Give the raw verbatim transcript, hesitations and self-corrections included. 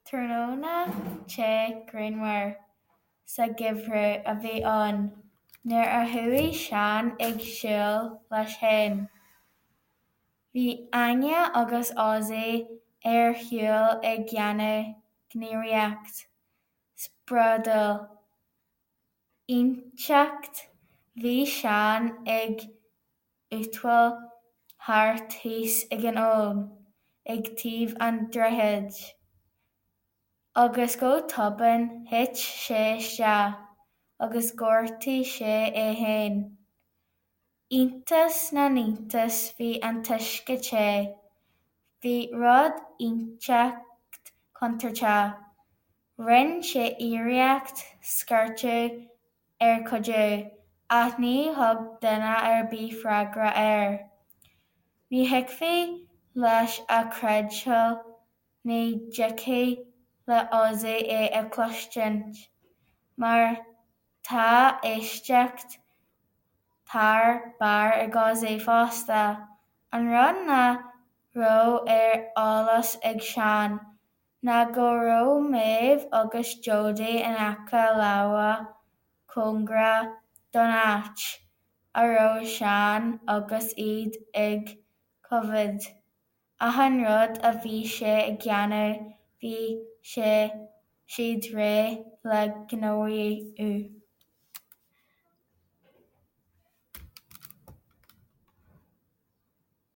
Tráthnóna te grianmhar sa gheimhreadh a bhí ann nuair a chuaigh Seán ag siúl leis féin. Bhí Áine agus Ozzy ar shiúl ag déanamh gníomhaíocht spriodúil inteacht. Bhí Seán ag eitiltí thart thíos ag an abhainn, ag taobh an droichid, agus go tobann thit sé isteach agus ghortaigh sé é féin. Iontas na n-iontas bhí an t-uisce te. Bhí rud inteacht contúirteach. Rinne sé iarracht scairteadh ar chuidiú, ach ní thug duine ar bith freagra air. Ní thiocfadh leis a chreidbheáil ní dtiocfadh le Ozzy é a chloisint, mar tá éisteacht thar barr ag Ozzy fosta. An rud nach raibh ar eolas ag Seán ná go raibh Méabh agus Jody in aice láimhe cóngarach don áit a raibh Seán agus iad ag coimhéad achan rud a bhí sé ag déanamh bhí siad réidh le gníomhú.